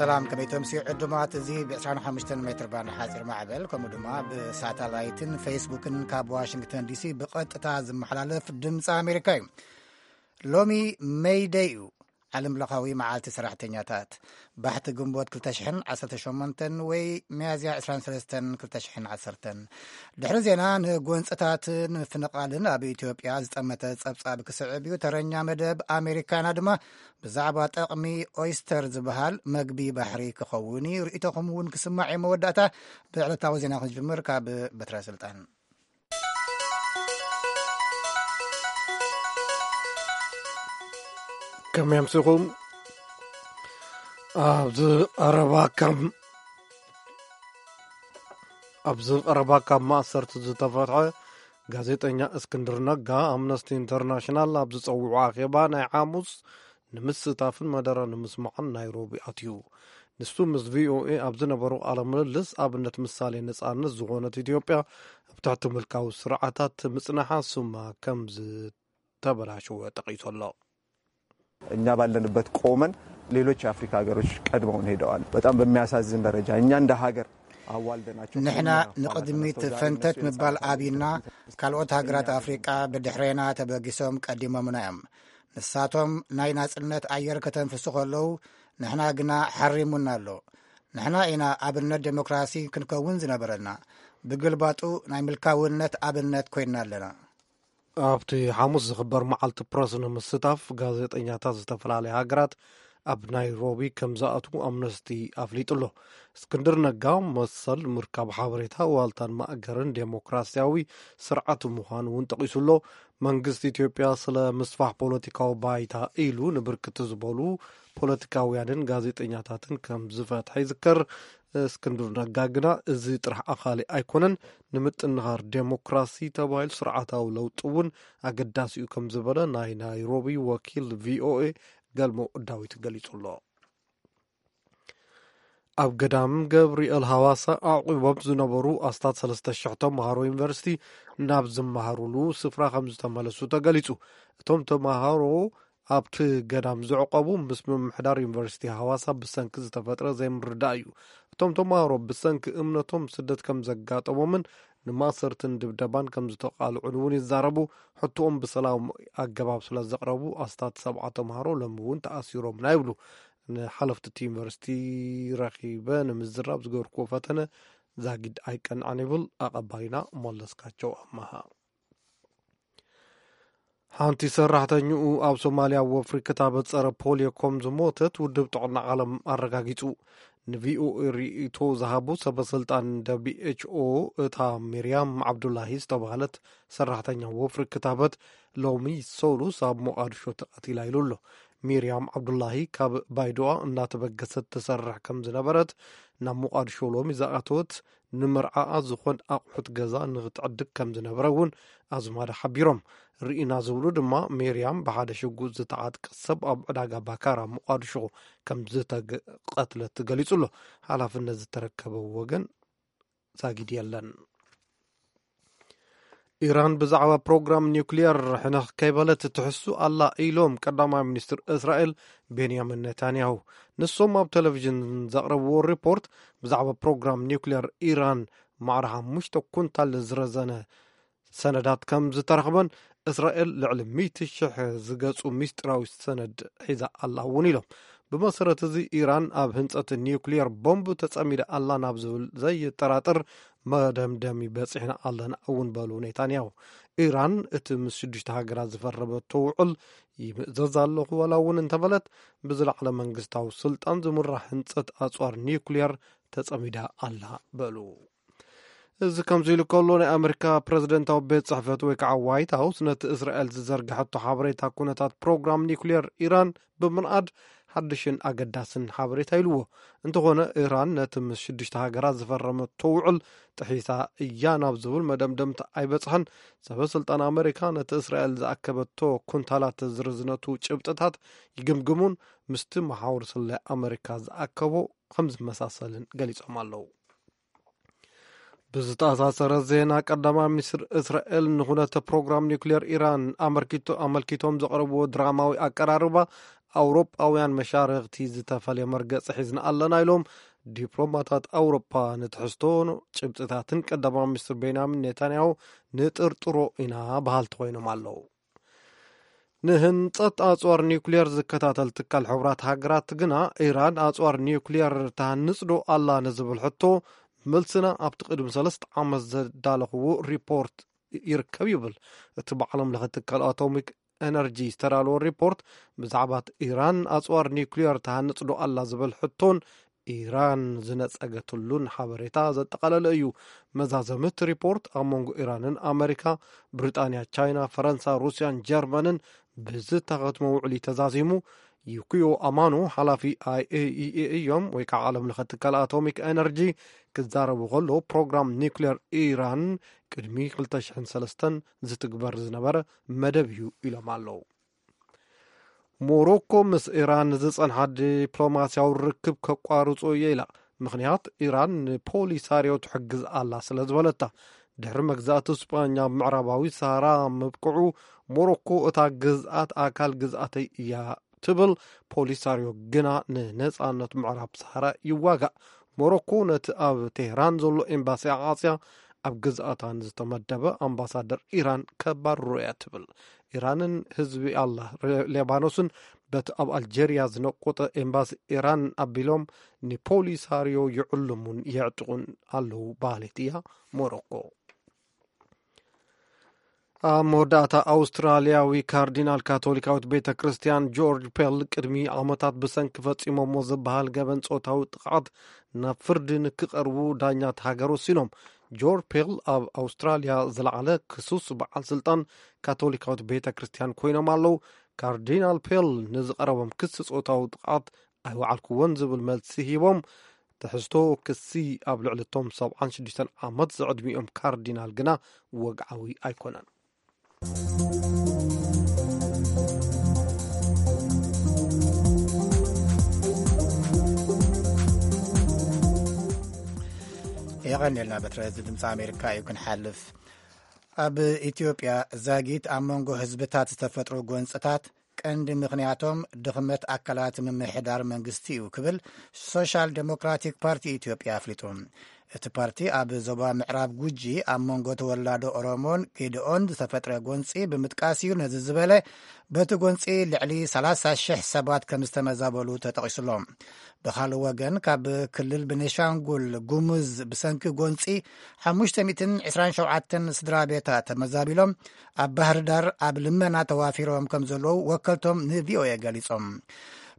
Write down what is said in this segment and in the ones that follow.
ሰላም፣ ከመይ ተምስዩ ዕዱማት? እዚ ብ25 ሜትር ባንድ ሓፂር ማዕበል፣ ከምኡ ድማ ብሳተላይትን ፌስቡክን ካብ ዋሽንግተን ዲሲ ብቐጥታ ዝመሓላለፍ ድምፂ ኣሜሪካ እዩ። ሎሚ ሜይደይ እዩ፣ ዓለም ለኻዊ መዓልቲ ሰራሕተኛታት። ባሕቲ ግንቦት ክልተ ሽሕን ዓሰርተ ሸሞንተን ወይ ሚያዝያ ዕስራን ሰለስተን ክልተ ሽሕን ዓሰርተን። ድሕሪ ዜና፣ ንጎንፅታትን ምፍንቓልን ኣብ ኢትዮጵያ ዝጠመተ ጸብጻብ ክስዕብ እዩ። ተረኛ መደብ ኣሜሪካና ድማ ብዛዕባ ጠቕሚ ኦይስተር ዝበሃል መግቢ ባሕሪ ክኸውን እዩ። ርእይቶኹም እውን ክስማዕ እዩ። መወዳእታ ብዕለታዊ ዜና ክንጅምር ካብ በትረ ስልጣን። ከመይ ኣምሲኹም? ኣብዚ ቀረባ ካብ ኣብዚ ቀረባ ካብ ማእሰርቲ ዝተፈትሐ ጋዜጠኛ እስክንድር ነጋ፣ ኣምነስቲ ኢንተርናሽናል ኣብ ዝጸውዖ ኣኼባ ናይ ሓሙስ ንምስታፍን መደረ ንምስማዕን ናይሮቢ ኣትዩ። ንሱ ምስ ቪኦኤ ኣብ ዝነበሮ ቃለ ምልልስ፣ ኣብነት ምሳሌ ነጻነት ዝኾነት ኢትዮጵያ ኣብ ትሕቲ ምልካዊ ስርዓታት ምጽናሓ ስማ ከም ዝተበላሸወ ጠቒሱ ኣሎ። እኛ ባለንበት ቆመን ሌሎች የአፍሪካ ሀገሮች ቀድመውን ሄደዋል። በጣም በሚያሳዝን ደረጃ እኛ እንደ ሀገር አዋልደናቸው ንሕና ከኛ ንቕድሚት ፈንተት ምባል ኣብይና፣ ካልኦት ሃገራት ኣፍሪቃ ብድሕሬና ተበጊሶም ቀዲሞምና እዮም። ንሳቶም ናይ ናጽነት ኣየር ከተንፍሱ ከለዉ፣ ንሕና ግና ሓሪሙና ኣሎ። ንሕና ኢና ኣብነት ዴሞክራሲ ክንከውን ዝነበረና። ብግልባጡ ናይ ምልካውነት ኣብነት ኮይንና ኣለና። ኣብቲ ሓሙስ ዝኽበር መዓልቲ ፕረስ ንምስታፍ፣ ጋዜጠኛታት ዝተፈላለያ ሃገራት ኣብ ናይሮቢ ከም ዝኣትዉ ኣምነስቲ ኣፍሊጡ ኣሎ። እስክንድር ነጋ፣ መሰል ምርካብ ሓበሬታ፣ ዋልታን ማእገርን ዴሞክራሲያዊ ስርዓት ምዃኑ እውን ጠቒሱ ኣሎ። መንግስቲ ኢትዮጵያ ስለ ምስፋሕ ፖለቲካዊ ባይታ ኢሉ ንብርክት ዝበሉ ፖለቲካውያንን ጋዜጠኛታትን ከም ዝፈትሐ ይዝከር። እስክንድር ነጋ ግና፣ እዚ ጥራሕ ኣኻሊ ኣይኮነን፣ ንምጥንኻር ዴሞክራሲ ተባሂሉ ስርዓታዊ ለውጢ እውን ኣገዳሲ እዩ ከም ዝበለ ናይ ናይሮቢ ወኪል ቪኦኤ ገልሞ ዳዊት ገሊጹ ኣሎ። ኣብ ገዳም ገብርኤል ሃዋሳ ኣዕቂቦም ዝነበሩ ኣስታት ሰለስተ ሽሕ ተምሃሮ ዩኒቨርሲቲ ናብ ዝመሃሩሉ ስፍራ ከም ዝተመለሱ ተገሊጹ። እቶም ተምሃሮ ኣብቲ ገዳም ዝዕቆቡ ምስ ምምሕዳር ዩኒቨርሲቲ ሃዋሳ ብሰንኪ ዝተፈጥረ ዘይምርዳእ እዩ። እቶም ተምሃሮ ብሰንኪ እምነቶም ስደት ከም ዘጋጠሞምን ንማእሰርትን ድብደባን ከም ዝተቓልዑን እውን ይዛረቡ። ሕቶኦም ብሰላም ኣገባብ ስለ ዘቕረቡ ኣስታት ሰብዓ ተምሃሮ ሎሚ እውን ተኣሲሮምና ይብሉ። ንሓለፍቲ እቲ ዩኒቨርሲቲ ረኺበ ንምዝራብ ዝገበርኩዎ ፈተነ ዛጊድ ኣይቀንዐን ይብል ኣቐባይና መለስካቸው ኣማሃ። ሓንቲ ሰራሕተኛኡ ኣብ ሶማልያ ወፍሪ ክታበት ጸረ ፖሊዮ ከም ዝሞተት ውድብ ጥዕና ዓለም ኣረጋጊጹ። ንቪኦኤ ርእይቶ ዝሃቡ ሰበ ስልጣን ደብሊው ኤች ኦ፣ እታ ሚርያም ዓብዱላሂ ዝተባህለት ሰራሕተኛ ወፍሪ ክታበት ሎሚ ሰሉስ ኣብ ሞቃዲሾ ተቐቲላ ኢሉ ኣሎ። ሚርያም ዓብዱላሂ ካብ ባይዶኣ እናተበገሰት ትሰርሕ ከም ዝነበረት፣ ናብ ሞቃዲሾ ሎሚ ዝኣተወት፣ ንምርዓኣ ዝኾን ኣቑሑት ገዛ ንኽትዕድግ ከም ዝነበረ እውን ኣዝማዳ ሓቢሮም። ርኢና ዝብሉ ድማ፣ ሜርያም ብሓደ ሽጉጥ ዝተዓጥቀ ሰብ ኣብ ዕዳጋ ባካራ ሞቃዲሾ ከም ዝተቐትለት ገሊጹ ኣሎ። ሓላፍነት ዝተረከበ ወገን ዛጊድ የለን። ኢራን ብዛዕባ ፕሮግራም ኒውክሊየር ሕነኽ ከይበለት ትሕሱ ኣላ ኢሎም ቀዳማይ ሚኒስትር እስራኤል ቤንያሚን ኔታንያሁ። ንሶም ኣብ ቴሌቪዥን ዘቕረብዎ ሪፖርት፣ ብዛዕባ ፕሮግራም ኒውክሊየር ኢራን ማዕረ ሓሙሽተ ኩንታል ዝረዘነ ሰነዳት ከም ዝተረኽበን፣ እስራኤል ልዕሊ ሚእቲ ሽሕ ዝገጹ ሚስጢራዊ ሰነድ ሒዛ ኣላ እውን ኢሎም። ብመሰረት እዚ፣ ኢራን ኣብ ህንጸት ኒውክሊየር ቦምብ ተጸሚዳ ኣላ ናብ ዝብል ዘየጠራጥር መደምደሚ በጺሕና ኣለና እውን በሉ ኔታንያሁ። ኢራን እቲ ምስ ሽዱሽተ ሃገራት ዝፈረመቶ ውዕል ይምእዘዝ ኣለኹ ዋላ እውን እንተበለት፣ ብዝለዓለ መንግስታዊ ስልጣን ዝምራሕ ህንጸት ኣጽዋር ኒውክሊየር ተጸሚዳ ኣላ በሉ። እዚ ከምዚ ኢሉ ከሎ፣ ናይ ኣመሪካ ፕረዚደንታዊ ቤት ጽሕፈት ወይ ከዓ ዋይት ሃውስ ነቲ እስራኤል ዝዘርግሐቶ ሓበሬታ ኩነታት ፕሮግራም ኒውክሊየር ኢራን ብምንኣድ ሓድሽን ኣገዳስን ሓበሬታ ኢልዎ። እንተኾነ፣ ኢራን ነቲ ምስ ሽዱሽተ ሃገራት ዝፈረመቶ ውዕል ጥሒሳ እያ ናብ ዝብል መደምደምታ ኣይበጽሐን። ሰበ ስልጣን ኣመሪካ ነቲ እስራኤል ዝኣከበቶ ኩንታላት ዝርዝነቱ ጭብጥታት ይግምግሙን ምስቲ መሓውር ስለያ ኣመሪካ ዝኣከቦ ከም ዝመሳሰልን ገሊጾም ኣለዉ። ብዝተኣሳሰረ ዜና፣ ቀዳማይ ሚኒስትር እስራኤል ንኹነተ ፕሮግራም ኒውክሌር ኢራን ኣመልኪቶ-፣ ኣመልኪቶም ዘቕረብዎ ድራማዊ ኣቀራርባ ኣውሮጳውያን መሻርኽቲ ዝተፈልየ መርገጺ ሒዝና ኣለና ኢሎም። ዲፕሎማታት ኣውሮጳ ንትሕዝቶ ጭብጥታትን ቀዳማዊ ሚኒስትር ቤንያሚን ኔታንያሁ ንጥርጥሮ ኢና በሃልቲ ኮይኖም ኣለዉ። ንህንጸት ኣጽዋር ኒውክልየር ዝከታተል ትካል ሕቡራት ሃገራት ግና፣ ኢራን ኣጽዋር ኒውክልየር ትሃንጽ ዶ ኣላ ንዝብል ሕቶ፣ መልስና ኣብቲ ቅድሚ ሰለስተ ዓመት ዘዳለኽዎ ሪፖርት ይርከብ ይብል። እቲ ብዓለም ለኸ ትካል ኣቶሚክ ኤነርጂ ዝተዳለወ ሪፖርት፣ ብዛዕባ ኢራን ኣጽዋር ኒውክልየር ትሃንጽ ዶ ኣላ ዝብል ሕቶን ኢራን ዝነጸገትሉን ሓበሬታ ዘጠቓለለ እዩ። መዛዘሚ እቲ ሪፖርት፣ ኣብ መንጎ ኢራንን ኣመሪካ፣ ብሪጣንያ፣ ቻይና፣ ፈረንሳ፣ ሩስያን ጀርመንን ብዝተኸትሞ ውዕሊ ተዛዚሙ። ዩኪዮ ኣማኖ፣ ሓላፊ ኣይ ኤ ኢ ኤ እዮም፣ ወይ ከዓ ዓለም ለኸ ትካል ኣቶሚክ ኤነርጂ፣ ክዛረቡ ከሎ፣ ፕሮግራም ኒውክሌር ኢራን ቅድሚ ክልተ ሽሕን ሰለስተን ዝትግበር ዝነበረ መደብ እዩ ኢሎም ኣለዉ። ሞሮኮ ምስ ኢራን ዝጸንሓ ዲፕሎማስያዊ ርክብ ከቋርጾ እየ ኢላ። ምኽንያት፣ ኢራን ንፖሊሳርዮ ትሕግዝ ኣላ ስለ ዝበለታ። ድሕሪ መግዛእቲ ስጳኛ ኣብ ምዕራባዊ ሰሃራ ምብቅዑ፣ ሞሮኮ እታ ግዝኣት ኣካል ግዝኣተይ እያ ትብል። ፖሊሳርዮ ግና ንነጻነት ምዕራብ ሰሃራ ይዋጋእ። ሞሮኮ ነቲ ኣብ ቴህራን ዘሎ ኤምባሲ ዓጽያ፣ ኣብ ግዝኣታ ንዝተመደበ ኣምባሳደር ኢራን ከባርሮ እያ ትብል። ኢራንን ህዝቢ ኣላ ሌባኖስን በቲ ኣብ ኣልጀርያ ዝነቆጠ ኤምባሲ ኢራን ኣቢሎም ንፖሊሳርዮ ይዕልሙን የዕጥቑን ኣለዉ በሃሊት እያ ሞሮኮ። ኣብ መወዳእታ፣ ኣውስትራልያዊ ካርዲናል ካቶሊካዊት ቤተ ክርስቲያን ጆርጅ ፔል ቅድሚ ዓመታት ብሰንኪ ፈጺሞሞ ዝበሃል ገበን ጾታዊ ጥቕዓት ናብ ፍርዲ ንክቐርቡ ዳኛት ሃገር ወሲኖም። ጆርጅ ፔል ኣብ ኣውስትራልያ ዝለዓለ ክሱስ በዓል ስልጣን ካቶሊካዊት ቤተ ክርስቲያን ኮይኖም ኣለዉ። ካርዲናል ፔል ንዝቐረቦም ክሲ ጾታዊ ጥቕዓት ኣይወዓልኩዎን ዝብል መልሲ ሂቦም። ትሕዝቶ ክሲ ኣብ ልዕሊ እቶም ሰብዓን ሽዱሽተን ዓመት ዝዕድሚኦም ካርዲናል ግና ወግዓዊ ኣይኮነን። የቐንየልና በትረ፣ እዚ ድምፂ ኣሜሪካ እዩ። ክንሓልፍ፣ ኣብ ኢትዮጵያ ዛጊት ኣብ መንጎ ህዝብታት ዝተፈጥሩ ጎንፅታት ቀንዲ ምኽንያቶም ድኽመት ኣካላት ምምሕዳር መንግስቲ እዩ ክብል ሶሻል ዴሞክራቲክ ፓርቲ ኢትዮጵያ ኣፍሊጡ። እቲ ፓርቲ ኣብ ዞባ ምዕራብ ጉጂ ኣብ መንጎ ተወላዶ ኦሮሞን ጌድኦን ዝተፈጥረ ጎንፂ ብምጥቃስ እዩ ነዚ ዝበለ። በቲ ጎንፂ ልዕሊ ሰላሳ ሽሕ ሰባት ከም ዝተመዛበሉ ተጠቒሱሎም። ብኻልእ ወገን፣ ካብ ክልል ቤኒሻንጉል ጉሙዝ ብሰንኪ ጎንፂ ሓሙሽተ ሚእትን ዕስራን ሸውዓተን ስድራ ቤታት ተመዛቢሎም ኣብ ባህር ዳር ኣብ ልመና ተዋፊሮም ከም ዘለዉ ወከልቶም ንቪኦኤ ገሊጾም።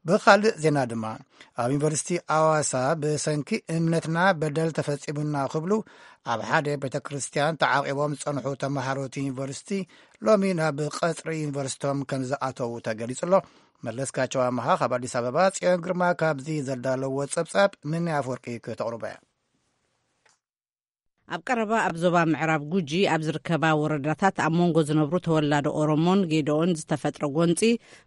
ብኻልእ ዜና ድማ፣ ኣብ ዩኒቨርሲቲ ኣዋሳ ብሰንኪ እምነትና በደል ተፈጺሙና ክብሉ ኣብ ሓደ ቤተ ክርስቲያን ተዓቂቦም ዝጸንሑ ተመሃሮ እቲ ዩኒቨርሲቲ ሎሚ ናብ ቀጽሪ ዩኒቨርሲቶም ከም ዝኣተዉ ተገሊጹ ኣሎ። መለስካቸው ኣመሃ ካብ ኣዲስ ኣበባ፣ ጽዮን ግርማ ካብዚ ዘዳለዎ ጸብጻብ፣ ምን ኣፈወርቂ ከተቕርቦ እያ። ኣብ ቀረባ ኣብ ዞባ ምዕራብ ጉጂ ኣብ ዝርከባ ወረዳታት ኣብ መንጎ ዝነብሩ ተወላዶ ኦሮሞን ጌዶኦን ዝተፈጥረ ጎንፂ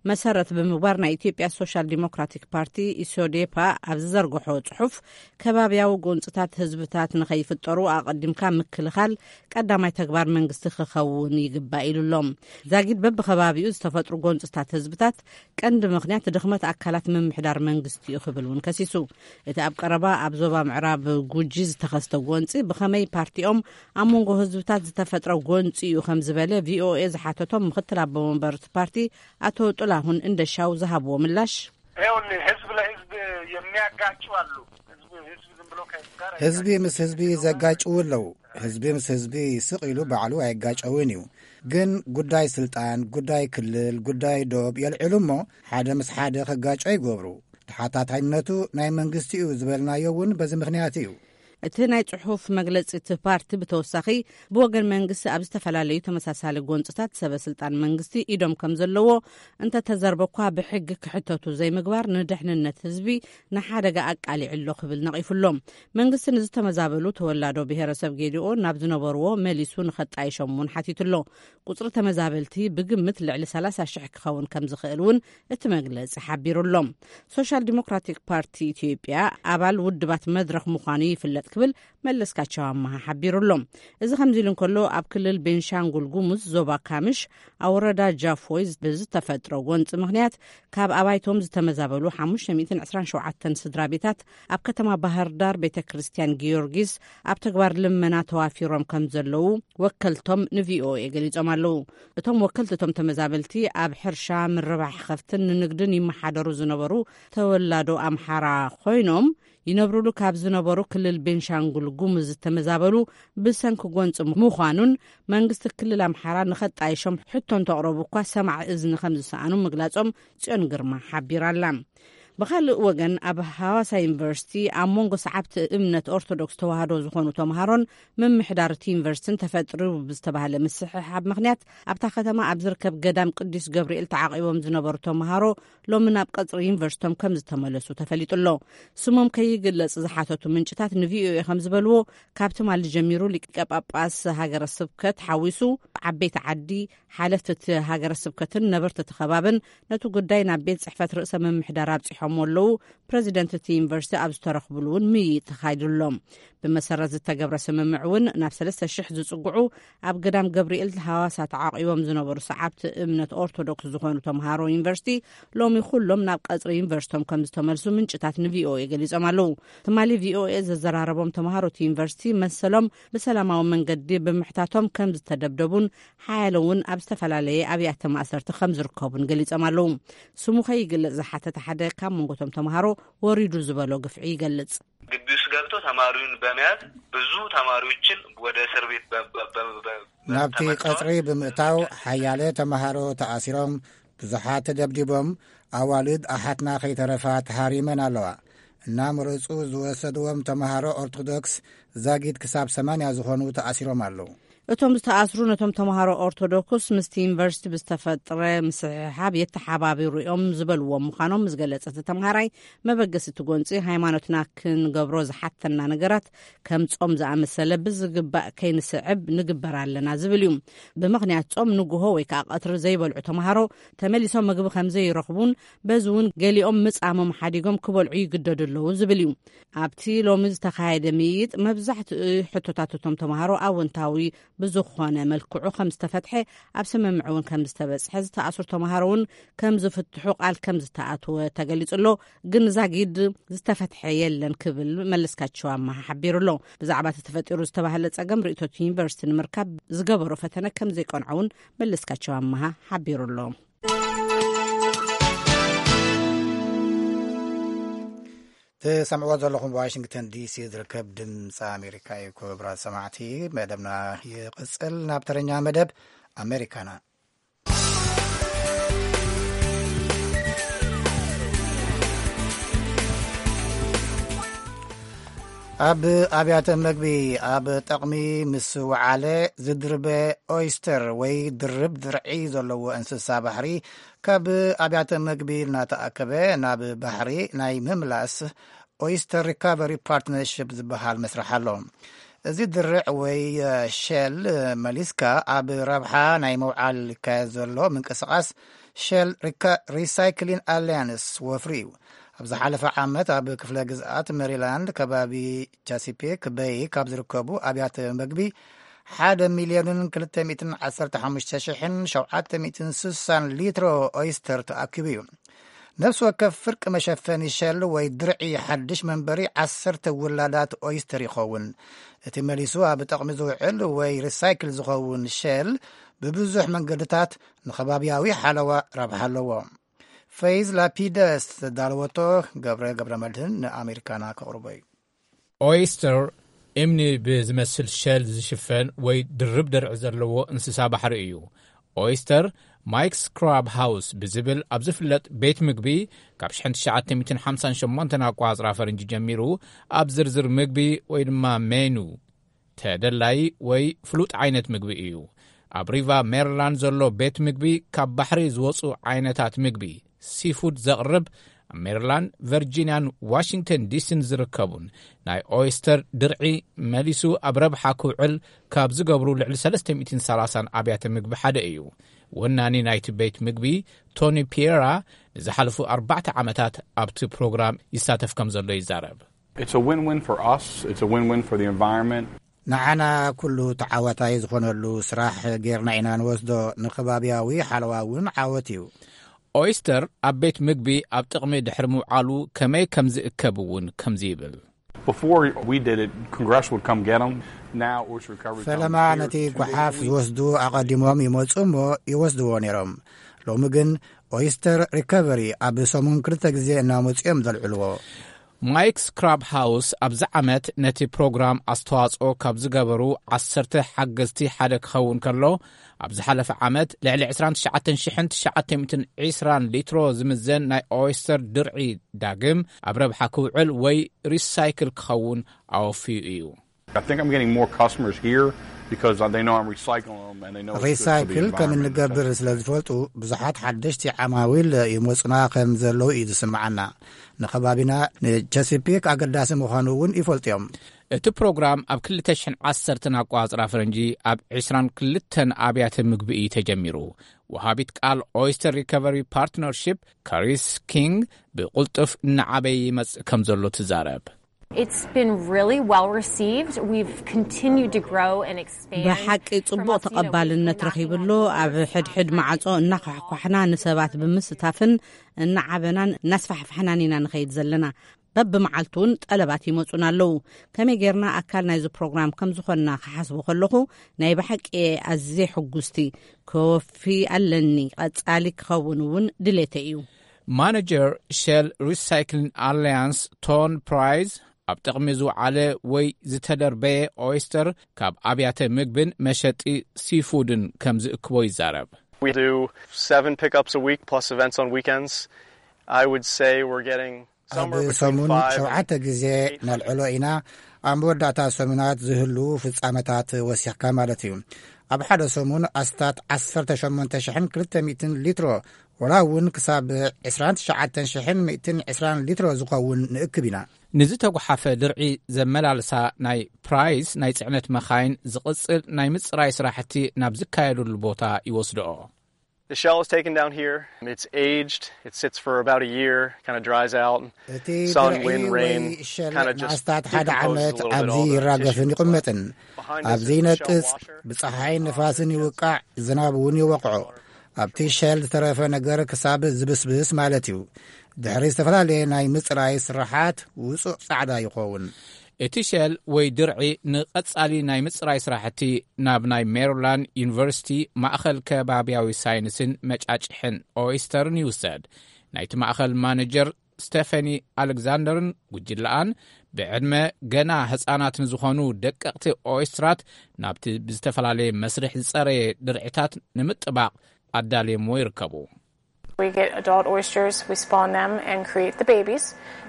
መሰረት ብምግባር፣ ናይ ኢትዮጵያ ሶሻል ዲሞክራቲክ ፓርቲ፣ ኢሶዴፓ፣ ኣብ ዝዘርግሖ ጽሑፍ፣ ከባብያዊ ጎንፅታት ህዝብታት ንኸይፍጠሩ ኣቐዲምካ ምክልኻል ቀዳማይ ተግባር መንግስቲ ክኸውን ይግባእ ኢሉ ኣሎ። ዛጊድ በብኸባቢኡ ዝተፈጥሩ ጎንፅታት ህዝብታት ቀንዲ ምኽንያት ድኽመት ኣካላት ምምሕዳር መንግስቲ እዩ ክብል እውን ከሲሱ። እቲ ኣብ ቀረባ ኣብ ዞባ ምዕራብ ጉጂ ዝተኸስተ ጎንፂ ብኸመይ ፓርቲኦም ኣብ መንጎ ህዝብታት ዝተፈጥረ ጎንፂ እዩ ከም ዝበለ ቪኦኤ ዝሓተቶም ምኽትል ኣቦ መንበር እቲ ፓርቲ ኣቶ ጥላሁን እንደሻው ዝሃብዎ ምላሽ፣ ይኸውልህ፣ ህዝብ ለህዝብ የሚያጋጩ አሉ። ህዝብ፣ ህዝብ ዝም ብሎ ከህዝብ ጋር ህዝቢ ምስ ህዝቢ ዘጋጭዉ ኣለዉ። ህዝቢ ምስ ህዝቢ ስቕ ኢሉ ባዕሉ ኣይጋጨውን እዩ። ግን ጉዳይ ስልጣን፣ ጉዳይ ክልል፣ ጉዳይ ዶብ የልዕሉ እሞ፣ ሓደ ምስ ሓደ ክጋጮ ይገብሩ። ተሓታታይነቱ ናይ መንግስቲ እዩ ዝበልናዮ እውን በዚ ምኽንያት እዩ። እቲ ናይ ጽሑፍ መግለጺ እቲ ፓርቲ ብተወሳኺ፣ ብወገን መንግስቲ ኣብ ዝተፈላለዩ ተመሳሳሊ ጎንጽታት ሰበ ስልጣን መንግስቲ ኢዶም ከም ዘለዎ እንተተዘርበ እኳ፣ ብሕጊ ክሕተቱ ዘይምግባር ንድሕንነት ህዝቢ ንሓደጋ ኣቃሊዑ ኣሎ ክብል ነቒፉ ኣሎ። መንግስቲ ንዝተመዛበሉ ተወላዶ ብሄረሰብ ጌዲኦ ናብ ዝነበርዎ መሊሱ ንኸጣይሾም እውን ሓቲቱ ኣሎ። ቁጽሪ ተመዛበልቲ ብግምት ልዕሊ ሰላሳ ሽሕ ክኸውን ከም ዝኽእል እውን እቲ መግለጺ ሓቢሩ ኣሎ። ሶሻል ዲሞክራቲክ ፓርቲ ኢትዮጵያ ኣባል ውድባት መድረኽ ምዃኑ ይፍለጥ ክብል መለስካቸው ኣመሃ ሓቢሩ ኣሎ። እዚ ከምዚ ኢሉ እንከሎ፣ ኣብ ክልል ቤንሻንጉል ጉሙዝ ዞባ ካምሽ ኣብ ወረዳ ጃፎይ ብዝተፈጥረ ጎንፂ ምኽንያት ካብ ኣባይቶም ዝተመዛበሉ ሓሙሽተ ሚእትን ዕስራን ሸውዓተን ስድራ ቤታት ኣብ ከተማ ባህር ዳር ቤተ ክርስቲያን ጊዮርጊስ ኣብ ተግባር ልመና ተዋፊሮም ከም ዘለዉ ወከልቶም ንቪኦኤ ገሊጾም ኣለዉ። እቶም ወከልቲ እቶም ተመዛበልቲ ኣብ ሕርሻ፣ ምርባሕ ከፍትን ንንግድን ይመሓደሩ ዝነበሩ ተወላዶ ኣምሓራ ኮይኖም፣ ይነብሩሉ ካብ ዝነበሩ ክልል ቤንሻንጉል ጉሙዝ ዝተመዛበሉ ብሰንኪ ጎንፂ ምዃኑን መንግስቲ ክልል ኣምሓራ ንኸጣይሾም ሕቶ እንተቕረቡ እኳ ሰማዒ እዝኒ ከም ዝሰኣኑ ምግላጾም ጽዮን ግርማ ሓቢራ ኣላ። ብኻልእ ወገን፣ ኣብ ሃዋሳ ዩኒቨርሲቲ ኣብ መንጎ ሰዓብቲ እምነት ኦርቶዶክስ ተዋህዶ ዝኾኑ ተምሃሮን ምምሕዳር እቲ ዩኒቨርሲቲን ተፈጥሩ ብዝተባህለ ምስሕሓብ ምኽንያት ኣብታ ከተማ ኣብ ዝርከብ ገዳም ቅዱስ ገብርኤል ተዓቒቦም ዝነበሩ ተምሃሮ ሎሚ ናብ ቀጽሪ ዩኒቨርሲቶም ከም ዝተመለሱ ተፈሊጡ ኣሎ። ስሞም ከይግለጽ ዝሓተቱ ምንጭታት ንቪኦኤ ከም ዝበልዎ፣ ካብ ትማሊ ጀሚሩ ሊቀ ጳጳስ ሃገረ ስብከት ሓዊሱ ዓበይቲ ዓዲ፣ ሓለፍቲ እቲ ሃገረ ስብከትን ነበርቲ እቲ ከባብን ነቲ ጉዳይ ናብ ቤት ጽሕፈት ርእሰ ምምሕዳር ኣብጺሖምዎ ኣለዉ። ፕረዚደንት እቲ ዩኒቨርሲቲ ኣብ ዝተረኽብሉ እውን ምይይጥ ተኻይዱ ኣሎ። ብመሰረት ዝተገብረ ስምምዕ እውን ናብ ሰለስተ ሽሕ ዝጽግዑ ኣብ ገዳም ገብርኤል ሃዋሳ ተዓቂቦም ዝነበሩ ሰዓብቲ እምነት ኦርቶዶክስ ዝኾኑ ተምሃሮ ዩኒቨርሲቲ ሎሚ ኩሎም ናብ ቀጽሪ ዩኒቨርሲቶም ከም ዝተመልሱ ምንጭታት ንቪኦኤ ገሊጾም ኣለዉ። ትማሊ ቪኦኤ ዘዘራረቦም ተምሃሮ እቲ ዩኒቨርሲቲ መሰሎም ብሰላማዊ መንገዲ ብምሕታቶም ከም ዝተደብደቡን ሓያለ እውን ኣብ ዝተፈላለየ ኣብያተ ማእሰርቲ ከም ዝርከቡን ገሊጾም ኣለዉ። ስሙ ከይግለጽ ዝሓተተ ሓደ ካብ መንጎቶም ተምሃሮ ወሪዱ ዝበሎ ግፍዒ ይገልጽ። ግቢ ውስጥ ገብተው ተማሪውን በመያዝ ብዙ ተማሪዎችን ወደ እስር ቤት በ- በ- በ- በ- ናብቲ ተመልሰዋል። ቀጽሪ ብምእታው ሓያለ ተምሃሮ ተኣሲሮም፣ ብዙሓት ተደብዲቦም፣ ኣዋልድ ኣሓትና ከይተረፋ ተሃሪመን ኣለዋ። እናመረጹ ዝወሰድዎም ተምሃሮ ኦርቶዶክስ ዛጊድ ክሳብ ሰማንያ ዝኾኑ ተኣሲሮም ኣለዉ። እቶም ዝተኣስሩ ነቶም ተምሃሮ ኦርቶዶክስ ምስቲ ዩኒቨርሲቲ ብዝተፈጥረ ምስሕሓብ የተሓባብሩ እዮም ዝበልዎም ምዃኖም ዝገለጸ እቲ ተምሃራይ፣ መበገሲ እቲ ጎንፂ ሃይማኖትና ክንገብሮ ዝሓተና ነገራት ከም ጾም ዝኣመሰለ ብዝግባእ ከይንስዕብ ንግበር ኣለና ዝብል እዩ። ብምኽንያት ጾም ንግሆ ወይ ከዓ ቀትሪ ዘይበልዑ ተምሃሮ ተመሊሶም ምግቢ ከም ዘይረኽቡን በዚ እውን ገሊኦም ምጻሞም ሓዲጎም ክበልዑ ይግደዱ ኣለዉ ዝብል እዩ። ኣብቲ ሎሚ ዝተኻየደ ምይይጥ መብዛሕትኡ ሕቶታት እቶም ተምሃሮ ኣወንታዊ ብዝኾነ መልክዑ ከም ዝተፈትሐ፣ ኣብ ስምምዕ እውን ከም ዝተበጽሐ፣ ዝተኣስሩ ተምሃሮ እውን ከም ዝፍትሑ ቃል ከም ዝተኣትወ ተገሊጹ ኣሎ። ግን ዛጊድ ዝተፈትሐ የለን ክብል መለስካቸው ኣማሃ ሓቢሩ ኣሎ። ብዛዕባ እቲ ተፈጢሩ ዝተባህለ ጸገም ርእይቶት ዩኒቨርሲቲ ንምርካብ ዝገበሮ ፈተነ ከም ዘይቀንዖ እውን መለስካቸው ኣማሃ ሓቢሩ ኣሎ። ትሰምዕዎ ዘለኹም ዋሽንግተን ዲሲ ዝርከብ ድምፂ ኣሜሪካ እዩ። ክቡራት ሰማዕቲ፣ መደብና ይቕፅል። ናብ ተረኛ መደብ ኣሜሪካና። ኣብ ኣብያተ መግቢ ኣብ ጠቕሚ ምስ ወዓለ ዝድርበ ኦይስተር ወይ ድርብ ድርዒ ዘለዎ እንስሳ ባሕሪ ካብ ኣብያተ መግቢ እናተኣከበ ናብ ባሕሪ ናይ ምምላስ ኦይስተር ሪካቨሪ ፓርትነርሽፕ ዝበሃል መስርሕ ኣሎ። እዚ ድርዕ ወይ ሸል መሊስካ ኣብ ረብሓ ናይ መውዓል ይካየድ ዘሎ ምንቅስቓስ ሸል ሪሳይክሊን ኣሊያንስ ወፍሪ እዩ። ኣብ ዝሓለፈ ዓመት ኣብ ክፍለ ግዝኣት ሜሪላንድ ከባቢ ቻሲፒክ በይ ካብ ዝርከቡ ኣብያተ መግቢ ሓደ ሚልዮንን ክልተ ሚእትን ዓሰርተ ሓሙሽተ ሽሕን ሸውዓተ ሚእትን ስሳን ሊትሮ ኦይስተር ተኣኪቡ እዩ። ነፍሲ ወከፍ ፍርቂ መሸፈኒ ሸል ወይ ድርዒ ሓድሽ መንበሪ ዓሰርተ ውላዳት ኦይስተር ይኸውን። እቲ መሊሱ ኣብ ጠቕሚ ዝውዕል ወይ ሪሳይክል ዝኸውን ሸል ብብዙሕ መንገድታት ንኸባብያዊ ሓለዋ ረብሓ ኣለዎ። ፈይዝ ላፒደስ ዘዳለወቶ ገብረ ገብረ መድህን ንኣሜሪካና ከቕርቦ እዩ። ኦይስተር እምኒ ብዝመስል ሸል ዝሽፈን ወይ ድርብ ድርዒ ዘለዎ እንስሳ ባሕሪ እዩ። ኦይስተር ማይክስ ክራብ ሃውስ ብዝብል ኣብ ዝፍለጥ ቤት ምግቢ ካብ ሽሕን ትሽዓተ ሚእትን ሓምሳን ሸሞንተን ኣቋጽራ ፈረንጂ ጀሚሩ ኣብ ዝርዝር ምግቢ ወይ ድማ ሜኑ ተደላይ ወይ ፍሉጥ ዓይነት ምግቢ እዩ። ኣብ ሪቫ ሜሪላንድ ዘሎ ቤት ምግቢ ካብ ባሕሪ ዝወጹ ዓይነታት ምግቢ ሲፉድ ዘቕርብ፣ ኣብ ሜሪላንድ፣ ቨርጂንያን ዋሽንግተን ዲሲን ዝርከቡን ናይ ኦይስተር ድርዒ መሊሱ ኣብ ረብሓ ክውዕል ካብ ዝገብሩ ልዕሊ ሰለስተ ሚእትን ሰላሳን ኣብያተ ምግቢ ሓደ እዩ። ወናኒ ናይቲ ቤት ምግቢ ቶኒ ፒየራ ንዝሓለፉ ኣርባዕተ ዓመታት ኣብቲ ፕሮግራም ይሳተፍ ከም ዘሎ ይዛረብ። It's a win-win for us. It's a win-win for the environment. ንዓና ኩሉ ተዓዋታይ ዝኾነሉ ስራሕ ጌርና ኢና ንወስዶ። ንከባብያዊ ሓለዋ እውን ዓወት እዩ። ኦይስተር ኣብ ቤት ምግቢ ኣብ ጥቕሚ ድሕሪ ምውዓሉ ከመይ ከም ዝእከብ እውን ከምዚ ይብል። Before we did it, Congress would come get them. Now Oyster Recovery comes ፈለማ here ነቲ two days a ጓሓፍ week. ዝወስዱ ኣቐዲሞም ይመጹ እሞ ይወስድዎ ነይሮም። ሎሚ ግን ኦይስተር ሪከቨሪ ኣብ ሰሙን ክልተ ግዜ እናመጹ እዮም ዘልዕልዎ። ማይክስ ክራብ ሃውስ ኣብዚ ዓመት ነቲ ፕሮግራም ኣስተዋጽኦ ካብ ዝገበሩ ዓሰርተ ሓገዝቲ ሓደ ክኸውን ከሎ፣ ኣብ ዝሓለፈ ዓመት ልዕሊ ዕስራን ትሽዓተ ሽሕን ትሽዓተ ሚእትን ዕስራን ሊትሮ ዝምዘን ናይ ኦይስተር ድርዒ ዳግም ኣብ ረብሓ ክውዕል ወይ ሪሳይክል ክኸውን ኣወፍዩ እዩ። I think I'm getting more customers here because they know I'm recycling them and they know it's good for the ሪሳይክል ከም environment. እንገብር ስለ ዝፈልጡ ብዙሓት ሓደሽቲ ዓማዊል ይመጹና ከም ዘለዉ እዩ ዝስምዓና። ንከባቢና ንቸሲፒክ ኣገዳሲ ምዃኑ እውን ይፈልጡ እዮም። እቲ ፕሮግራም ኣብ ክልተ ሽሕን ዓሰርተን ኣቋጽራ ፈረንጂ ኣብ ዕስራን ክልተን ኣብያተ ምግቢ እዩ ተጀሚሩ። ወሃቢት ቃል ኦይስተር ሪከቨሪ ፓርትነርሺፕ ካሪስ ኪንግ ብቕልጡፍ እናዓበየ ይመጽእ ከም ዘሎ ትዛረብ። It's been really well received. We've continued to grow and expand. ብሓቂ ጽቡቕ ተቐባልነት ረኺብሎ። ኣብ ሕድሕድ ማዕጾ እናኳሕኳሕና ንሰባት ብምስታፍን እናዓበናን እናስፋሕፋሕናን ኢና ንኸይድ ዘለና። በብመዓልቱ እውን ጠለባት ይመጹና ኣለዉ። ከመይ ጌርና ኣካል ናይዚ ፕሮግራም ከም ዝኾንና ክሓስቦ ከለኹ ናይ ብሓቂ እየ ኣዝየ ሕጉስቲ። ክወፊ ኣለኒ። ቀጻሊ ክኸውን እውን ድሌተ እዩ። ማነጀር ሸል ሪሳይክሊንግ ኣሊያንስ ቶን ፕራይዝ ኣብ ጥቕሚ ዝውዓለ ወይ ዝተደርበየ ኦይስተር ካብ ኣብያተ ምግብን መሸጢ ሲፉድን ከም ዝእክቦ ይዛረብ። We do seven pickups a week plus events on weekends. I would say we're getting ኣብ ሰሙን ሸውዓተ ግዜ ነልዕሎ ኢና። ኣብ መወዳእታ ሰሙናት ዝህሉ ፍጻመታት ወሲኽካ ማለት እዩ። ኣብ ሓደ ሰሙን ኣስታት ዓሰርተ ሸሞንተ ሽሕን ክልተ ሚእትን ሊትሮ ወላ እውን ክሳብ ዕስራን ትሽዓተ ሽሕን ሚእትን ዕስራን ሊትሮ ዝኸውን ንእክብ ኢና። ንዝተጓሓፈ ድርዒ ዘመላልሳ ናይ ፕራይስ ናይ ጽዕነት መኻይን ዝቕጽል ናይ ምጽራይ ስራሕቲ ናብ ዝካየደሉ ቦታ ይወስድኦ። The shell is taken down here. It's aged. It sits for about a year, kind of dries out. እቲ ድርዒ ወይ ሸል ንኣስታት ሓደ ዓመት ኣብዚ ይራገፍን ይቕመጥን። ኣብዚ ይነቅጽ፣ ብፀሓይን ንፋስን ይውቃዕ፣ ዝናብ እውን ይወቕዖ። ኣብቲ ሸል ዝተረፈ ነገር ክሳብ ዝብስብስ ማለት እዩ። ድሕሪ ዝተፈላለየ ናይ ምፅራይ ስራሓት ውፁእ ፃዕዳ ይኸውን። እቲ ሸል ወይ ድርዒ ንቐጻሊ ናይ ምጽራይ ስራሕቲ ናብ ናይ ሜሪላንድ ዩኒቨርሲቲ ማእኸል ከባብያዊ ሳይንስን መጫጭሕን ኦይስተርን ይውሰድ። ናይቲ ማእኸል ማነጀር ስቴፈኒ ኣሌክዛንደርን ጉጅለኣን ብዕድመ ገና ህጻናት ንዝኾኑ ደቀቕቲ ኦይስትራት ናብቲ ብዝተፈላለየ መስርሕ ዝጸረየ ድርዒታት ንምጥባቕ ኣዳልየሞ ይርከቡ። We get adult oysters, we spawn them and create the babies,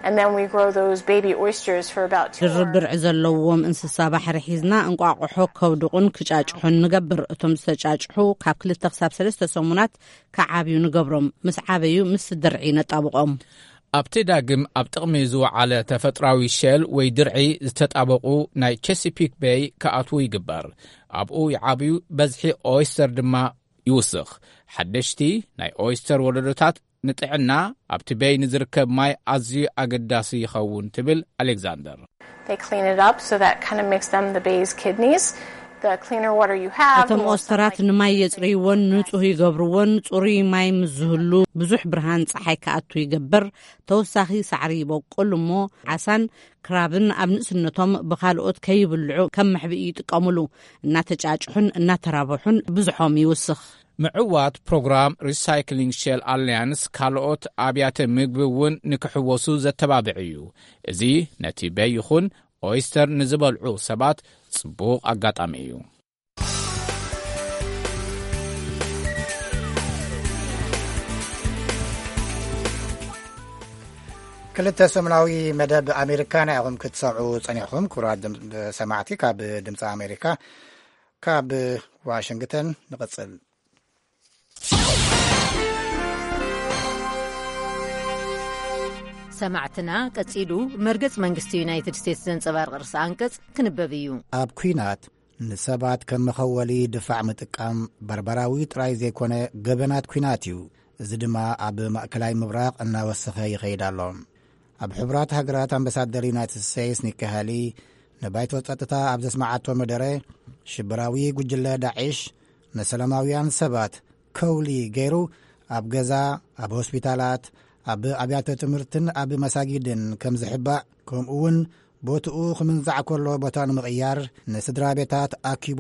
and then we grow those baby oysters for about two ድርብ ድርዒ ዘለዎም እንስሳ ባሕሪ ሒዝና እንቋቑሖ ከብድቑን ክጫጭሑን ንገብር። እቶም ዝተጫጭሑ ካብ ክልተ ክሳብ ሰለስተ ሰሙናት ክዓብዩ ንገብሮም። ምስ ዓበዩ ምስ ድርዒ ነጣብቖም። ኣብቲ ዳግም ኣብ ጥቕሚ ዝወዓለ ተፈጥራዊ ሸል ወይ ድርዒ ዝተጣበቑ ናይ ቸሲፒክ ቤይ ክኣትዉ ይግበር። ኣብኡ ይዓብዩ፣ በዝሒ ኦይስተር ድማ ይውስኽ። ሓደሽቲ ናይ ኦይስተር ወለዶታት ንጥዕና ኣብቲ ቤይ ንዝርከብ ማይ ኣዝዩ ኣገዳሲ ይኸውን ትብል ኣሌክዛንደር። They clean it up so that kind of makes them the bay's kidneys. The cleaner water you have, the እቶም more ኦስተራት ንማይ የጽርይዎን ንጹህ ይገብርዎን። ጽሩይ ማይ ምስ ዝህሉ ብዙሕ ብርሃን ጸሓይ ክኣቱ ይገብር። ተወሳኺ ሳዕሪ ይበቁል እሞ ዓሳን ክራብን ኣብ ንእስነቶም ብኻልኦት ከይብልዑ ከም መሕብኢ ይጥቀሙሉ። እናተጫጭሑን እናተራብሑን ብዙሖም ይውስኽ። ምዕዋት ፕሮግራም ሪሳይክሊንግ ሼል ኣሊያንስ ካልኦት ኣብያተ ምግቢ እውን ንክሕወሱ ዘተባብዕ እዩ። እዚ ነቲ በይ ይኹን ኦይስተር ንዝበልዑ ሰባት ጽቡቕ ኣጋጣሚ እዩ። ክልተ ሰሙናዊ መደብ ኣሜሪካ ናይ ኣኹም ክትሰምዑ ጸኒሕኹም። ክቡራት ድም- ሰማዕቲ ካብ ድምፂ ኣሜሪካ ካብ ዋሽንግተን ንቐጽል። ሰማዕትና ቀጺሉ መርገጽ መንግስቲ ዩናይትድ ስቴትስ ዘንጸባርቕ ርእሰ ኣንቀጽ ክንበብ እዩ። ኣብ ኲናት ንሰባት ከም መኸወሊ ድፋዕ ምጥቃም በርበራዊ ጥራይ ዘይኮነ ገበናት ኲናት እዩ። እዚ ድማ ኣብ ማእከላይ ምብራቕ እናወሰኸ ይኸይድ ኣሎ። ኣብ ሕቡራት ሃገራት ኣምባሳደር ዩናይትድ ስቴትስ ኒኪ ሃሊ ንባይቶ ጸጥታ ኣብ ዘስማዓቶ መደረ፣ ሽበራዊ ጉጅለ ዳዒሽ ንሰላማውያን ሰባት ከውሊ ገይሩ ኣብ ገዛ፣ ኣብ ሆስፒታላት፣ ኣብ ኣብያተ ትምህርትን ኣብ መሳጊድን ከም ዝሕባእ፣ ከምኡ እውን ቦትኡ ክምንዛዕ ከሎ ቦታ ንምቕያር ንስድራ ቤታት ኣኪቡ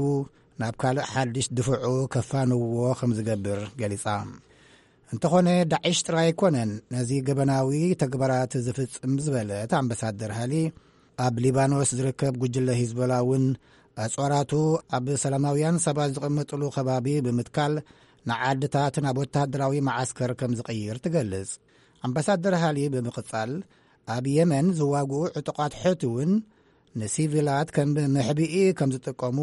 ናብ ካልእ ሓድሽ ድፍዑ ከፋንዎ ከም ዝገብር ገሊጻ። እንተኾነ ዳዒሽ ጥራይ ኣይኮነን ነዚ ገበናዊ ተግባራት ዝፍጽም ዝበለት ኣምባሳደር ሃሊ፣ ኣብ ሊባኖስ ዝርከብ ጉጅለ ሂዝቦላ እውን ኣጽዋራቱ ኣብ ሰላማውያን ሰባት ዝቕመጥሉ ከባቢ ብምትካል ንዓድታት ናብ ወተሃደራዊ መዓስከር ከም ዝቕይር ትገልጽ። ኣምባሳደር ሃሊ ብምቕጻል፣ ኣብ የመን ዝዋግኡ ዕጡቓት ሑቲ እውን ንሲቪላት ከም መሕብኢ ከም ዝጥቀሙ፣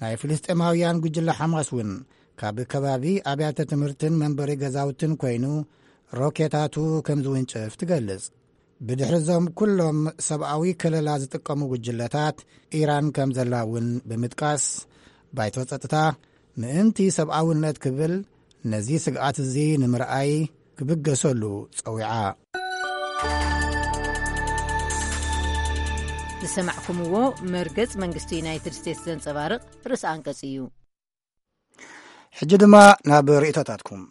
ናይ ፍልስጤማውያን ጉጅለ ሓማስ እውን ካብ ከባቢ ኣብያተ ትምህርትን መንበሪ ገዛውትን ኮይኑ ሮኬታቱ ከም ዝውንጭፍ ትገልጽ። ብድሕሪ እዞም ኩሎም ሰብኣዊ ከለላ ዝጥቀሙ ጉጅለታት ኢራን ከም ዘላ እውን ብምጥቃስ፣ ባይቶ ጸጥታ ምእንቲ ሰብኣውነት ክብል ነዚ ስግኣት እዚ ንምርኣይ ክብገሰሉ ጸዊዓ። ዝሰማዕኩምዎ መርገጽ መንግስቲ ዩናይትድ ስቴትስ ዘንጸባርቕ ርእሰ ኣንቀጽ እዩ። ሕጂ ድማ ናብ ርእይቶታትኩም።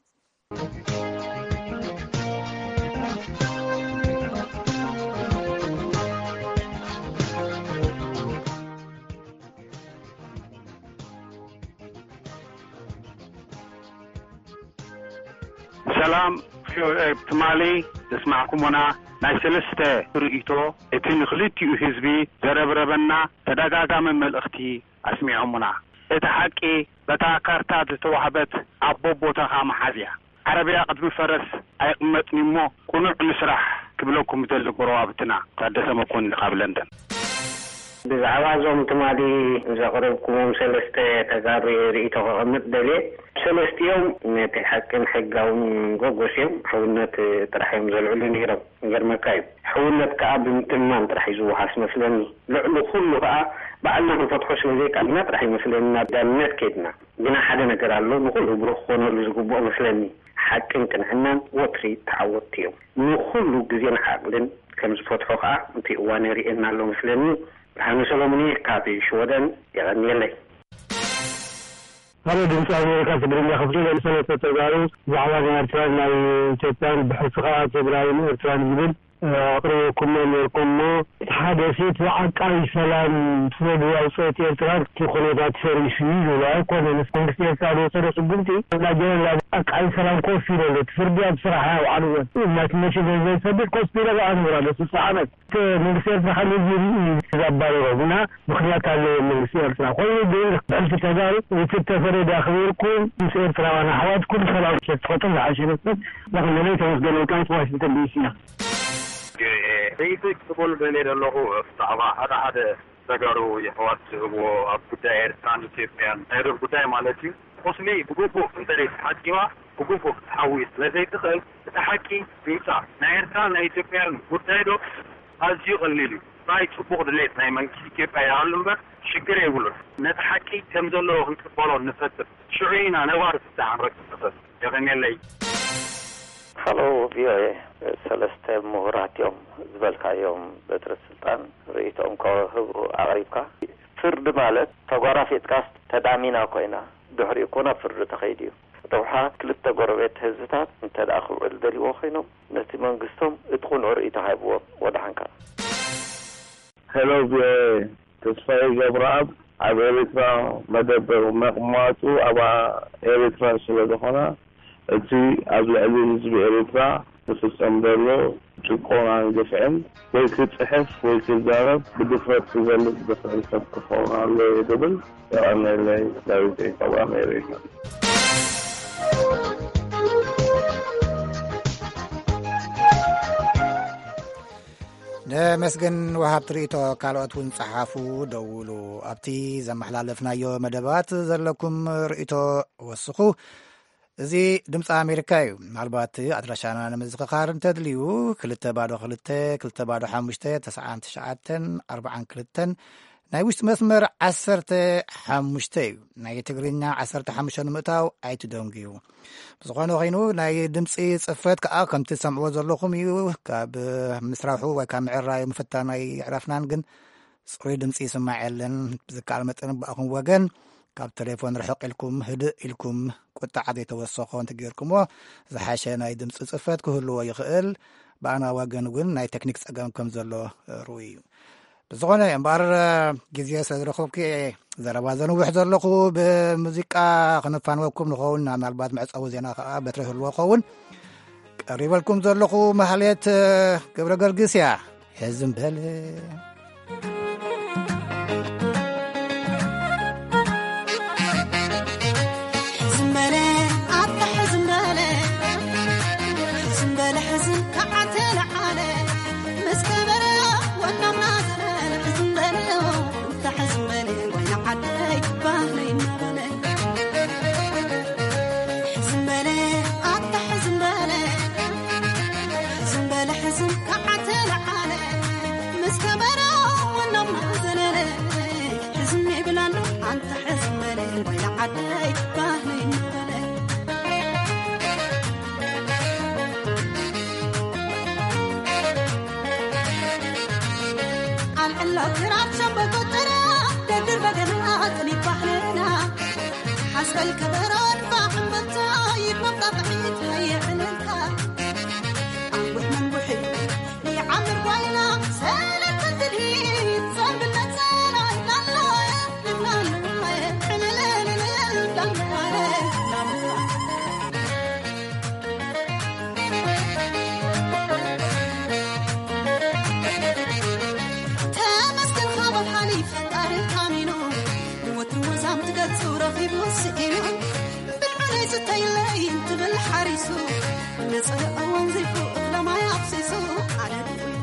ሰላም፣ ቪኦኤ። ትማሊ ዘስማዕኩሞና ናይ ሰለስተ ርእይቶ፣ እቲ ንክልቲኡ ህዝቢ ዘረብረበና ተደጋጋሚ መልእኽቲ ኣስሚዖሙና። እቲ ሓቂ፣ በታ ካርታ ዝተዋህበት ኣቦ ቦታኻ መሓዝ እያ። ዓረብያ ቅድሚ ፈረስ ኣይቕመጥን እሞ፣ ቅኑዕ ንስራሕ ክብለኩም ዝደሊ ጎረባብትና። ታደሰ መኮንን ካብ ለንደን። ብዛዕባ እዞም ትማሊ ዘቕረብኩሞም ሰለስተ ተጋሩ ርእይቶ ከቐምጥ ደልየ። ሰለስቲኦም ነቲ ሓቅን ሕጋውን ጎጎስ እዮም። ሕውነት ጥራሕ እዮም ዘልዕሉ ነይሮም። ይገርመካ እዩ። ሕውነት ከኣ ብምትማን ጥራሕ እዩ ዝወሃስ መስለኒ። ልዕሊ ኩሉ ከኣ ባዕልና ክንፈትሖ ስለ ዘይከኣልና ጥራሕ እዩ መስለኒ ናብ ዳንነት ከይድና። ግና ሓደ ነገር ኣሎ፣ ንኹሉ ብሩህ ክኾነሉ ዝግብኦ መስለኒ። ሓቅን ቅንዕናን ወትሪ ተዓወትቲ እዮም። ንኹሉ ግዜን ዓቕልን ከም ዝፈትሖ ከኣ እቲ እዋን የርእየና ኣሎ መስለኒ። ብርሃነ ሰሎሙን እየ ካብ ሽወደን፣ የቐንየለይ። ሃሎ ድምፂ ኣሜሪካ ትግርኛ ክፍሊ፣ ሰለስተ ተጋሩ ብዛዕባ ናይ ኤርትራን ናይ ኢትዮጵያን ብሕልፊ ከዓ ትግራይን ኤርትራን ዝብል ኣቕሪብኩሞ ነርኩም እሞ፣ እቲ ሓደ ሴት ዓቃቢ ሰላም ፍረዱ ኣውፅኦት ኤርትራ እቲ ኩነታት ፈሪሱ እዩ ዝብሎ ኣይኮነን። መንግስቲ ኤርትራ ዝወሰዶ ስጉምቲ፣ እና ጀነራል ዓቃቢ ሰላም ኮፍ ኢሉ ኣሎ። እቲ ፍርዲ ኣብ ስራሕ ኣውዓልዎን። እናቲ መቼ ዘይሰድድ ኮፍ ኢለ ኣንብራ ለ ስልሳ ዓመት። እቲ መንግስቲ ኤርትራ ካብ እዚ ርኢ እዩ ዘባረሮም እና ምኽንያት ኣለዎ መንግስቲ ኤርትራ። ኮይኑ ግን ብሕልፊ ተጋሩ እቲ ተፈረደ ኣኽቢርኩም ምስ ኤርትራውያን ኣሕዋትኩም ሰላም ክትፈጥሩ ዝሓሸ ይመስል። ንኽንደለይ ተመስገን ወልቃይት ዋሽንግተን ዲሲ እያ። ርእይቶይ ክጽበሉ ደልየ ዘለኹ ብዛዕባ ሓደ ሓደ ተጋሩ የሕዋት ዝህብዎ ኣብ ጉዳይ ኤርትራን ኢትዮጵያን ናይ ዶብ ጉዳይ ማለት እዩ። ቁስሊ ብግቡእ እንተዘይ ተሓኪማ ብግቡእ ክትሓዊ ስለ ዘይትኽእል እቲ ሓቂ ይውጻእ። ናይ ኤርትራን ናይ ኢትዮጵያን ጉዳይ ዶ ኣዝዩ ቀሊል እዩ። ጥራይ ጽቡቕ ድሌት ናይ መንግስቲ ኢትዮጵያ ይሃሉ እምበር ሽግር የብሉን። ነቲ ሓቂ ከም ዘለዎ ክንቅበሎ ንፈትን። ሽዑ ኢና ነባሪ ፍታሕ ንረክብ። የቐንየለይ። ሃሎ ቪኦኤ፣ ሰለስተ ምሁራት እዮም ዝበልካዮም በትሪ ስልጣን ርእይቶኦም ከህቡ ኣቕሪብካ። ፍርዲ ማለት ተጓራፊጥካስ ተዳሚና ኮይና፣ ድሕሪኡ እኮ ናብ ፍርዲ ተኸይዱ እዩ። ረብሓ ክልተ ጎረቤት ህዝብታት እንተ ደኣ ክውዕል ደልይዎ ኮይኖም፣ ነቲ መንግስቶም እቲ ቅኑዕ ርእይቶ ሃብዎም። ወደሓንካ። ሄሎ ቪኦኤ፣ ተስፋዬ ገብረኣብ ኣብ ኤሪትራ መደበር መቕማጡ ኣብ ኤሪትራ ስለ ዝኾነ፣ እቲ ኣብ ልዕሊ ህዝቢ ኤሪትራ ዝፍጸም ዘሎ ጭቆናን ግፍዕን ወይ ክጽሕፍ ወይ ክዛረብ ብድፍረት ክገልጽ ዝኽእል ሰብ ክኸውን ኣለዎ እየ ዝብል። የቐንየለይ። ዳዊት እየ ካብ ኣሜሪካ። ነመስግን ወሃብቲ ርእይቶ። ካልኦት እውን ጸሓፉ፣ ደውሉ። ኣብቲ ዘመሓላለፍናዮ መደባት ዘለኩም ርእይቶ ወስኹ። እዚ ድምፂ ኣሜሪካ እዩ። ምናልባት ኣድራሻና ንምዝኽኻር እንተድልዩ፣ ክልተ ባዶ ክልተ፣ ክልተ ባዶ ሓሙሽተ፣ ተስዓን ትሽዓተን ኣርባዓን ክልተን ናይ ውሽጢ መስመር ዓሰርተ ሓሙሽተ እዩ። ናይ ትግርኛ ዓሰርተ ሓሙሽተ ንምእታው ኣይትደንጉዩ። ብዝኾነ ኮይኑ፣ ናይ ድምፂ ፅፈት ከዓ ከምቲ ትሰምዕዎ ዘለኹም እዩ። ካብ ምስራሑ ወይ ካብ ምዕራዩ ምፍታን ኣይዕረፍናን፣ ግን ፅሩይ ድምፂ ይስማዕ የለን። ብዝከኣል መጠን ብኣኹም ወገን ካብ ቴሌፎን ርሕቕ ኢልኩም፣ ህድእ ኢልኩም፣ ቁጥዓ ዘይተወሰኾ እንተጌርኩሞ ዝሓሸ ናይ ድምፂ ፅፈት ክህልዎ ይኽእል። ብኣና ወገን እውን ናይ ቴክኒክ ፀገም ከም ዘሎ ርኡይ እዩ። ብዝኾነ እምበኣር፣ ግዜ ስለ ዝረኸብኩ እየ ዘረባ ዘንውሕ ዘለኹ። ብሙዚቃ ክነፋንወኩም ንኸውን፣ ምናልባት መዕጸዊ ዜና ከዓ በትሪ ህልዎ ኸውን። ቀሪበልኩም ዘለኹ ማህሌት ገብረ ገርግስ እያ። ሕዝም በል። ሕዝም በለ፣ ኣታ ሕዝም በለ፣ ሕዝም በለ፣ ሕዝም ከዓተ ለዓለ፣ ምስ ከበረ ወናምና ዘበለ፣ ሕዝም በለ፣ ኣታ ሕዝም በለ፣ ወይና ዓደይ ባህለይ እናበለ። ሕዝም በለ፣ ኣታ ሕዝም በለ፣ ሕዝም በለ፣ ሕዝም ከዓተ ለዓለ፣ ምስ ከበረ ወናምና ዘለለ፣ ሕዝም ይብል ኣሎ ኣንታ ሕዝም በለ፣ ወይና ዓደይ ባህለይ እናበለ። ኣልዕሎ ክራር ሸምበቆ ጥራ፣ ደርድር በገና ጥኒት ባህልና። ሓስበል ከበሮ ንፋሕ እምብልታ፣ ይድመቕ ጣቕዒት ሃየ ዕልልታ። ኣንቡሕ መንቡሒ ይዓምር ጓይላ፣ ሰለስተ ትልሂት ዘንብል ነጸላ ይብላላ፣ ይብላላ፣ ዕልልልልል፣ ላላ፣ ላላ። ተመስገን ካብ ሓሊፍ ፈጣሪ ታሚኑ፣ ወትሩ ወዛም ትገጹ ረኺቡ ስኢኑ፣ ብልዑለይ ስተይለይ እንትብል ሓሪሱ፣ ነጸረ እዋን ዘይፉ እኽለ ማይ ኣፍሲሱ፣ ኣነ ድኹም።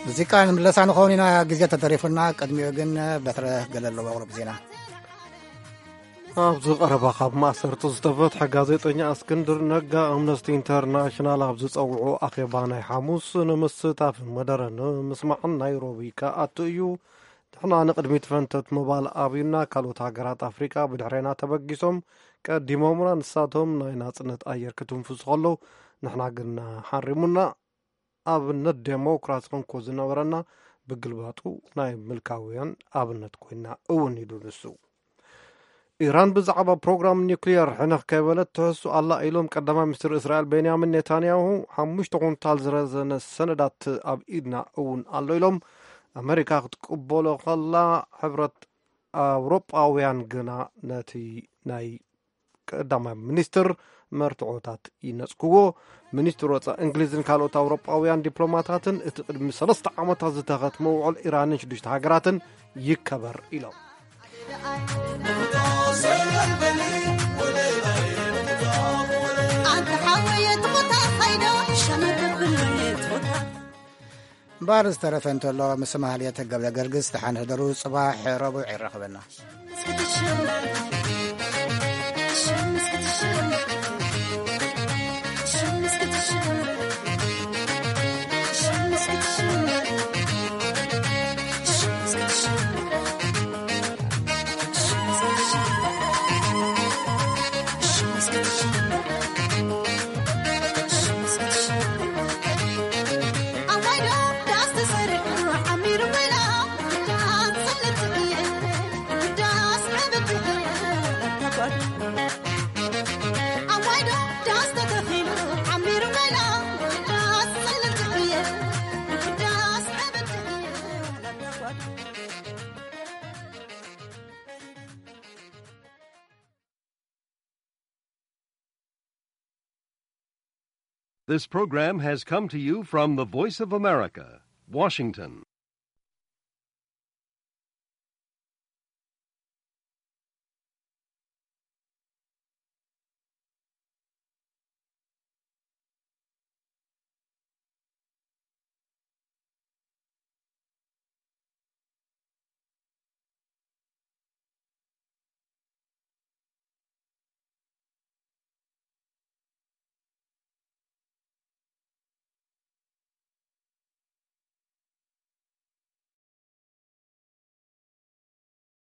ሙዚቃ ንምለሳ ንኸውን ኢና፣ ግዜ ተተሪፉና። ቅድሚኡ ግን በትረ ገለ ኣለዎ ኣቕርብ ዜና። ኣብዚ ቀረባ ካብ ማእሰርቲ ዝተፈትሐ ጋዜጠኛ እስክንድር ነጋ፣ ኣምነስቲ ኢንተርናሽናል ኣብ ዝጸውዖ ኣኼባ ናይ ሓሙስ ንምስታፍን መደረ ንምስማዕን ናይሮቢ ክኣቱ እዩ። ንሕና ንቕድሚት ፈንተት ምባል ኣብዩና፣ ካልኦት ሃገራት ኣፍሪቃ ብድሕሬና ተበጊሶም ቀዲሞምና፣ ንሳቶም ናይ ናጽነት ኣየር ክትንፍሱ ከለዉ ንሕና ግን ሓሪሙና። ኣብነት ዴሞክራሲ ክንኮ ዝነበረና ብግልባጡ ናይ ምልካውያን ኣብነት ኮይና እውን ኢሉ ንሱ። ኢራን ብዛዕባ ፕሮግራም ኒውክሊየር ሕንኽ ከይበለት ትሕሱ ኣላ ኢሎም ቀዳማይ ሚኒስትር እስራኤል ቤንያሚን ኔታንያሁ። ሓሙሽተ ኩንታል ዝረዘነ ሰነዳት ኣብ ኢድና እውን ኣሎ ኢሎም። ኣመሪካ ክትቅበሎ ከላ ሕብረት ኣውሮጳውያን ግና ነቲ ናይ ቀዳማይ ሚኒስትር መርትዖታት ይነጽግዎ። ሚኒስትር ወጻኢ እንግሊዝን ካልኦት ኣውሮጳውያን ዲፕሎማታትን እቲ ቅድሚ ሰለስተ ዓመታት ዝተኸትመ ውዕል ኢራንን ሽዱሽተ ሃገራትን ይከበር ኢሎም። እምበኣር ዝተረፈ እንተሎ ምስ ማህሌት ገብረ ገርግስ ደሓን ሕደሩ። ጽባሕ ረቡዕ ይራኸበና። This program has come to you from the Voice of America, Washington.